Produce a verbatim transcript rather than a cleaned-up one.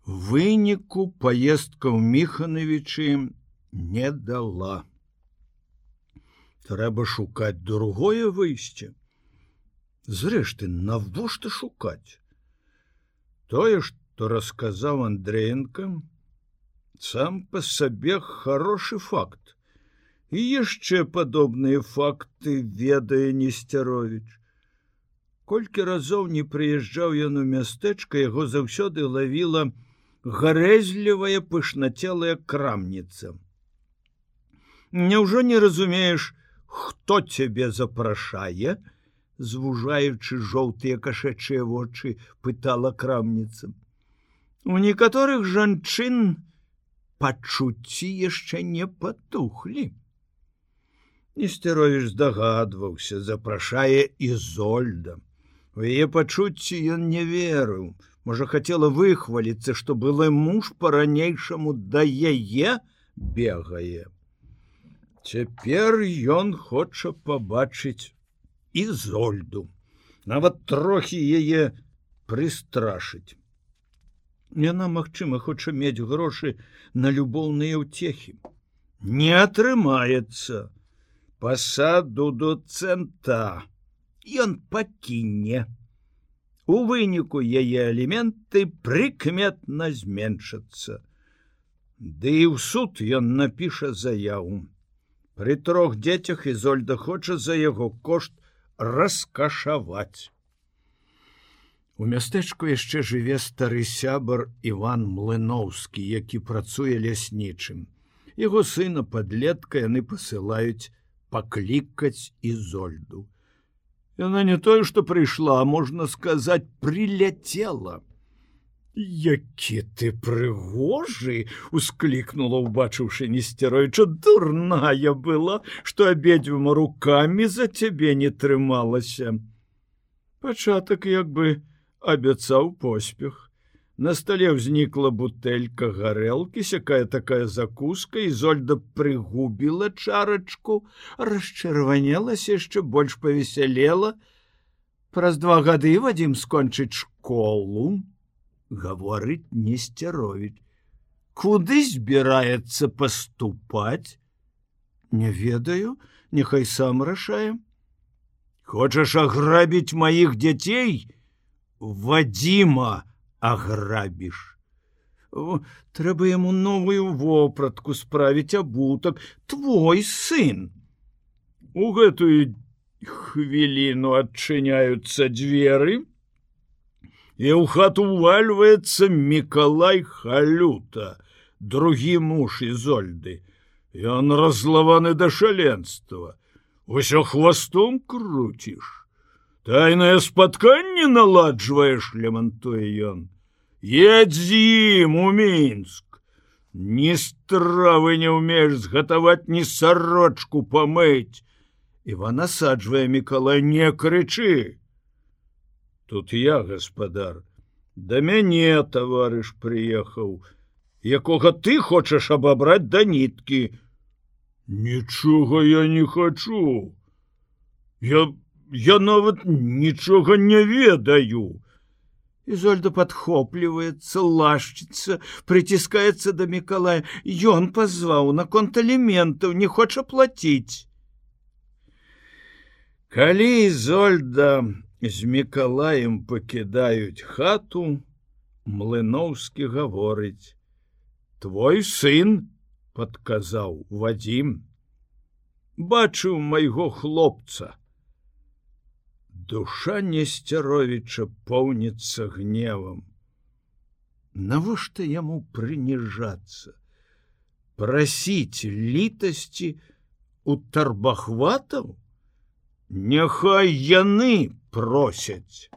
Выніку паездка ў Міханавічы не дала. Трэба шукаць другое выйсце. Зрэшты, навошта шукаць? Тое, што расказаў Андрэенка, сам па сабе хорошы факт. І яшчэ падобныя факты ведае Несцяровіч. Колькі разоў не прыязджаў ён у мястэчка, яго заўсёды лавіла гарэзлівая пышнацелая крамніца. Няўжо не разумееш, хто цябе запрашае? Звужаючы жоўтыя кашачыя вочы, пытала крамніца. У некаторых жанчын пачуцці яшчэ не патухлі. Несцяровіч здагадваўся, запрашае Ізольда. У яе пачуцці ён не верыў. Можа, хацела выхваліцца, што былы муж па-ранейшаму да яе бегае. Цяпер ён хоча пабачыць Ізольду, нават трохі яе прыстрашыць. Яна, магчыма, хоча мець грошы на любоўныя ўцехі. Не атрымаецца. Пасаду доцэнта ён пакіне. У выніку яе аліменты прыкметна зменшацца. Ды і ў суд ён напіша заяву. Пры трох дзецях Ізольда хоча за яго кошт раскашаваць. У мястэчку яшчэ жыве стары сябар Іван Млыноўскі, які працуе ляснічым. Яго сына падлетка яны пасылаюць паклікаць Ізольду. Яна не тое, што прыйшла, а можна сказаць, приляцела. Які ты прыгожы, усклікнула, убачыўшы Несцяровіча, дурная была, што абедзвюма рукамі за цябе не трымалася. Пачатак як бы абяцаў поспех. На стале ўзнікла бутэлька гарэлкі, сякая такая закуска, Ізольда прыгубіла чарачку, расчырванелася, яшчэ больш павесялела. Праз два гады Вадзім скончыць школу, гаворыць Несцяровіч. Куды збіраецца паступаць? Не ведаю, няхай сам рашае. Хочаш аграбіць маіх дзяцей? Вадзіма аграбіш. Трэба яму новую вопратку справіць, абутак. Твой сын. У гэтую хвіліну адчыняюцца дзверы, і ў хату ўвальваецца Мікалай Халюта, другі муж Ізольды. Ён разлаваны да шаленства. Усё хвастом круціш. Тайнае спатканне наладжваеш, лямантуе ён. Едзь з ім у Мінск. Ні стравы не ўмееш згатаваць, ні сарочку памыць. Іван асаджвае Мікалай, не крычы. Тут я, гаспадар, да мяне таварыш прыехаў, якога ты хочаш абабраць да ніткі. Нічога я не хачу. Я, я нават нічога не ведаю. Ізольда падхопліваецца, лашчыцца, прыціскаецца да Мікалая. Ён пазваў наконт аліментаў, не хоча плаціць. Калі Ізольда з Мікалаем пакідаюць хату, Млыноўскі гаворыць: твой сын, падказаў Вадзім, бачыў майго хлопца. Душа Несцяровіча поўніцца гневам. Навошта яму прыніжацца? Прасіць літасці у тарбахватаў? Няхай яны просяць.